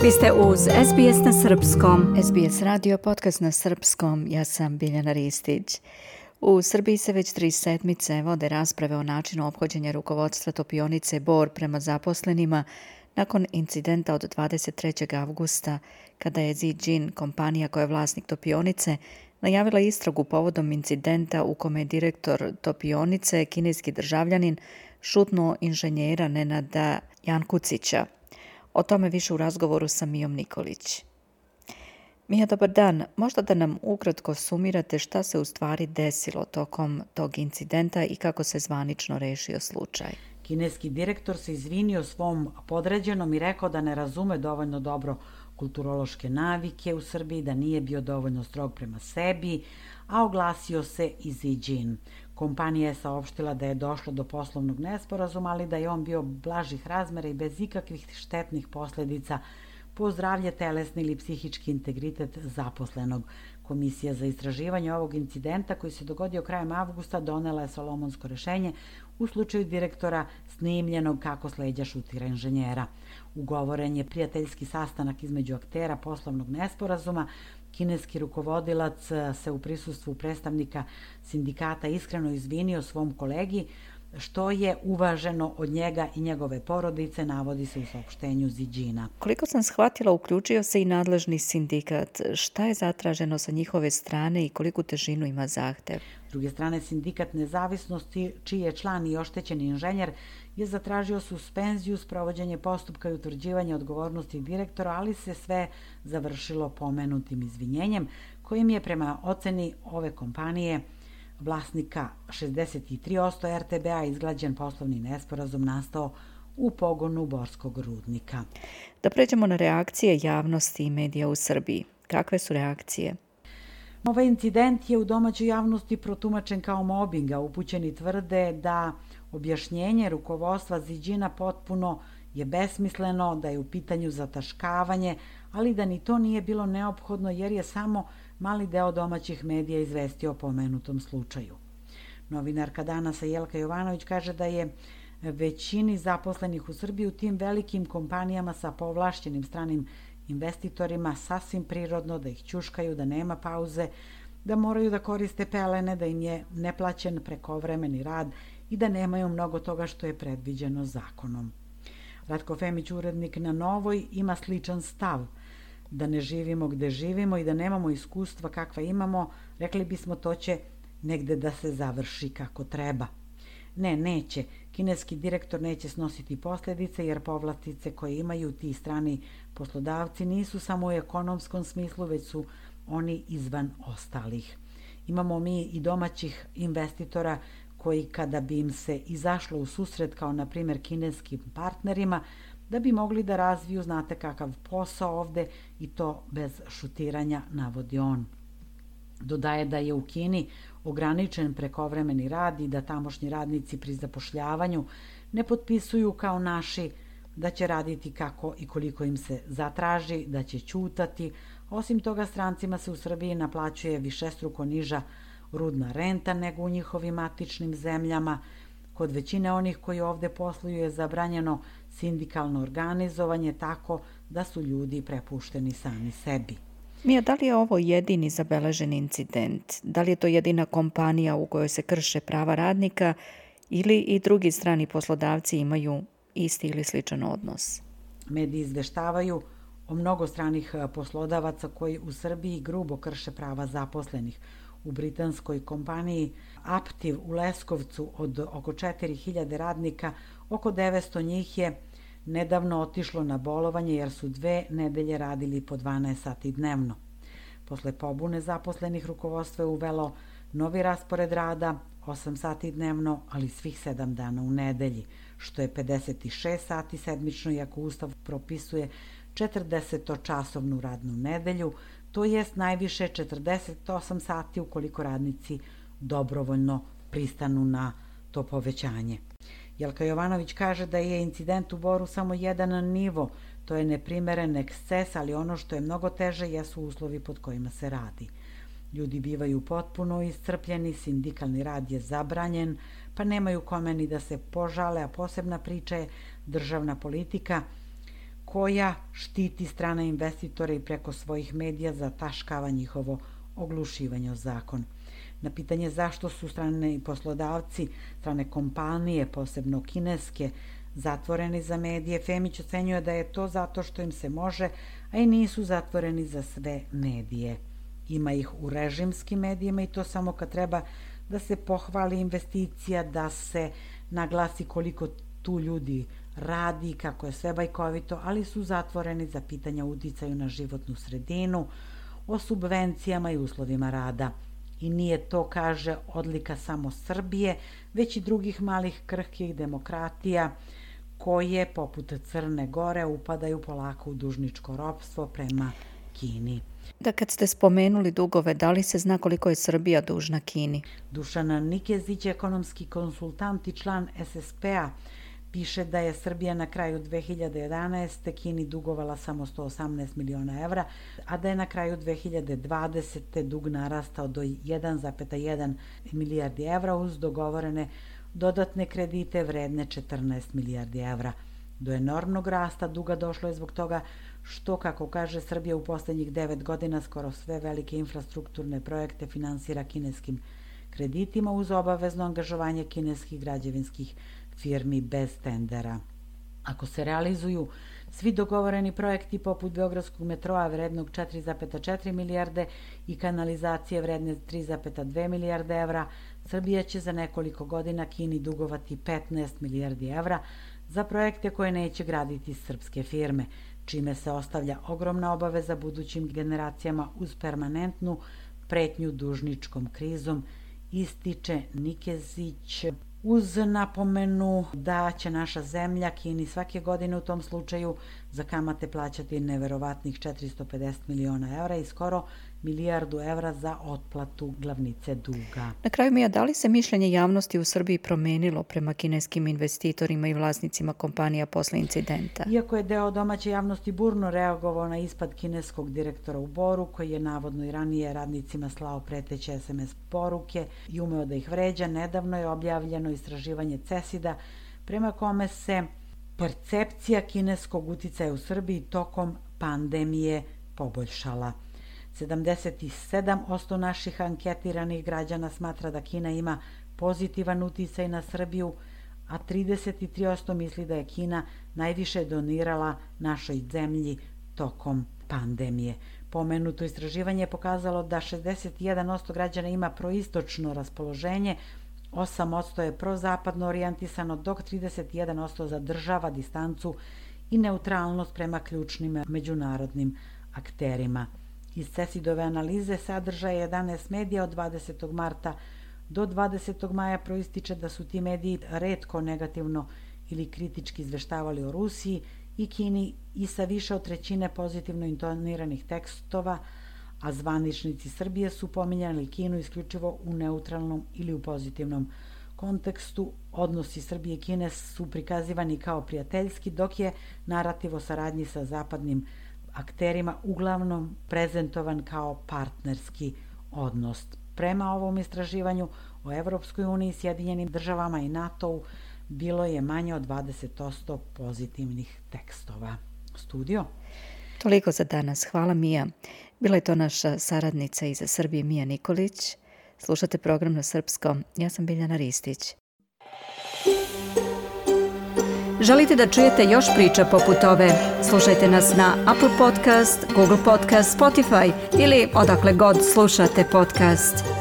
Vi ste uz SBS na Srpskom. SBS radio podcast na Srpskom. Ja sam Biljana Ristić. U Srbiji se već 3 sedmice vode rasprave o načinu ophođenja rukovodstva topionice Bor prema zaposlenima nakon incidenta od 23. avgusta kada je Zijin, kompanija koja je vlasnik topionice, najavila istragu povodom incidenta u kome je direktor topionice, kineski državljanin, šutnuo inženjera Nenada Jankucića. O tome više u razgovoru sa Mijom Nikolić. Mija, dobar dan. Možda da nam ukratko sumirate šta se u stvari desilo tokom tog incidenta i kako se zvanično rešio slučaj. Kineski direktor se izvinio svom podređenom i rekao da ne razume dovoljno dobro kulturološke navike u Srbiji, da nije bio dovoljno strog prema sebi, a oglasio se i Zijin. Kompanija je saopštila da je došlo do poslovnog nesporazuma, ali da je on bio blažih razmera i bez ikakvih štetnih posledica po zdravlje, telesni ili psihički integritet zaposlenog. Komisija za istraživanje ovog incidenta koji se dogodio krajem avgusta donela je solomonsko rešenje u slučaju direktora snimljenog kako s leđa šutira inženjera. Ugovoren je prijateljski sastanak između aktera poslovnog nesporazuma. Kineski rukovodilac se u prisustvu predstavnika sindikata iskreno izvinio svom kolegi, što je uvaženo od njega i njegove porodice, navodi se u saopštenju Zijina. Koliko sam shvatila, uključio se i nadležni sindikat. Šta je zatraženo sa njihove strane i koliku težinu ima zahtev? S druge strane, sindikat Nezavisnosti, čiji je član i oštećeni inženjer, je zatražio suspenziju, sprovođenje postupka i utvrđivanje odgovornosti direktora, ali se sve završilo pomenutim izvinjenjem, kojim je prema oceni ove kompanije vlasnika 63% RTB-a izglađen poslovni nesporazum nastao u pogonu borskog rudnika. Da pređemo na reakcije javnosti i medija u Srbiji. Kakve su reakcije? Ovaj incident je u domaćoj javnosti protumačen kao mobing, a upućeni tvrde da objašnjenje rukovodstva Zijina potpuno je besmisleno, da je u pitanju zataškavanje, ali da ni to nije bilo neophodno jer je samo mali deo domaćih medija izvestio o pomenutom slučaju. Novinarka Danasa Jelka Jovanović kaže da je većini zaposlenih u Srbiji u tim velikim kompanijama sa povlašćenim stranim investitorima sasvim prirodno da ih ćuškaju, da nema pauze, da moraju da koriste pelene, da im je neplaćen prekovremeni rad i da nemaju mnogo toga što je predviđeno zakonom. Ratko Femić, urednik na Novoj, ima sličan stav. Da ne živimo gde živimo i da nemamo iskustva kakva imamo, rekli bismo to će negde da se završi kako treba. Ne, neće. Kineski direktor neće snositi posljedice jer povlastice koje imaju ti strani poslodavci nisu samo u ekonomskom smislu, već su oni izvan ostalih. Imamo mi i domaćih investitora koji kada bi im se izašlo u susret kao na primjer kineskim partnerima, da bi mogli da razviju znate kakav posao ovde i to bez šutiranja, navodi on. Dodaje da je u Kini ograničen prekovremeni rad i da tamošnji radnici pri zapošljavanju ne potpisuju kao naši da će raditi kako i koliko im se zatraži, da će ćutati. Osim toga, strancima se u Srbiji naplaćuje višestruko niža rudna renta nego u njihovim matičnim zemljama. Kod većine onih koji ovde posluju je zabranjeno sindikalno organizovanje, tako da su ljudi prepušteni sami sebi. Mija, da li je ovo jedini zabeležen incident? Da li je to jedina kompanija u kojoj se krše prava radnika ili i drugi strani poslodavci imaju isti ili sličan odnos? Mediji izveštavaju o mnogo stranih poslodavaca koji u Srbiji grubo krše prava zaposlenih. U britanskoj kompaniji Aptiv u Leskovcu od oko 4000 radnika, oko 900 njih je nedavno otišlo na bolovanje jer su 2 nedelje radili po 12 sati dnevno. Posle pobune zaposlenih rukovodstvo je uvelo novi raspored rada, 8 sati dnevno, ali svih 7 dana u nedelji, što je 56 sati sedmično, iako Ustav propisuje 40-časovnu radnu nedelju, to jest najviše 48 sati ukoliko radnici dobrovoljno pristanu na to povećanje. Jelka Jovanović kaže da je incident u Boru samo jedan nivo, to je neprimeren eksces, ali ono što je mnogo teže jesu uslovi pod kojima se radi. Ljudi bivaju potpuno iscrpljeni, sindikalni rad je zabranjen, pa nemaju kome ni da se požale, a posebna priča je državna politika koja štiti strane investitore i preko svojih medija zataškava njihovo oglušivanje o zakon. Na pitanje zašto su strane poslodavci, strane kompanije, posebno kineske, zatvoreni za medije, Femić ocenjuje da je to zato što im se može, a i nisu zatvoreni za sve medije. Ima ih u režimskim medijima i to samo kad treba da se pohvali investicija, da se naglasi koliko tu ljudi radi, kako je sve bajkovito, ali su zatvoreni za pitanja uticaju na životnu sredinu, o subvencijama i uslovima rada. I nije to, kaže, odlika samo Srbije, već i drugih malih krhkih demokratija koje, poput Crne Gore, upadaju polako u dužničko ropstvo prema Kini. Da, kad ste spomenuli dugove, da li se zna koliko je Srbija dužna Kini? Dušan Nikezić, ekonomski konsultant i član SSP-a, piše da je Srbija na kraju 2011. Kini dugovala samo 118 miliona evra, a da je na kraju 2020. dug narastao do 1,1 milijardi evra uz dogovorene dodatne kredite vredne 14 milijardi evra. Do enormnog rasta duga došlo je zbog toga što, kako kaže, Srbija u poslednjih 9 godina skoro sve velike infrastrukturne projekte finansira kineskim kreditima uz obavezno angažovanje kineskih građevinskih firmi bez tendera. Ako se realizuju svi dogovoreni projekti poput Beogradskog metroa vrednog 4,4 milijarde i kanalizacije vredne 3,2 milijarde evra, Srbija će za nekoliko godina Kini dugovati 15 milijardi evra za projekte koje neće graditi srpske firme, čime se ostavlja ogromna obaveza budućim generacijama uz permanentnu pretnju dužničkom krizom, ističe Nikezić, uz napomenu da će naša zemlja Kini svake godine u tom slučaju za kamate plaćati neverovatnih 450 miliona evra i skoro milijardu evra za otplatu glavnice duga. Na kraju, Mija, da li se mišljenje javnosti u Srbiji promenilo prema kineskim investitorima i vlasnicima kompanija posle incidenta? Iako je deo domaće javnosti burno reagovao na ispad kineskog direktora u Boru, koji je navodno i ranije radnicima slao preteće SMS poruke i umeo da ih vređa, nedavno je objavljeno istraživanje CESID-a prema kome se percepcija kineskog uticaja u Srbiji tokom pandemije poboljšala. 77% naših anketiranih građana smatra da Kina ima pozitivan uticaj na Srbiju, a 33% misli da je Kina najviše donirala našoj zemlji tokom pandemije. Pomenuto istraživanje je pokazalo da 61% građana ima proistočno raspoloženje, 8% je prozapadno orijentisano, dok 31% zadržava distancu i neutralnost prema ključnim međunarodnim akterima. Iz CESID-ove analize sadržaja 11 medija od 20. marta do 20. maja proističe da su ti mediji retko negativno ili kritički izveštavali o Rusiji i Kini i sa više od trećine pozitivno intoniranih tekstova, a zvaničnici Srbije su pominjali Kinu isključivo u neutralnom ili u pozitivnom kontekstu. Odnosi Srbije i Kine su prikazivani kao prijateljski, dok je narativ o saradnji sa zapadnim akterima uglavnom prezentovan kao partnerski odnos. Prema ovom istraživanju o Evropskoj uniji, Sjedinjenim državama i NATO-u bilo je manje od 20% pozitivnih tekstova. Studio? Toliko za danas. Hvala, Mija. Bila je to naša saradnica iz Srbije, Mija Nikolić. Slušate program na srpskom. Ja sam Biljana Ristić. Želite da čujete još priča poput ove? Slušajte nas na Apple Podcast, Google Podcast, Spotify ili odakle god slušate podcast.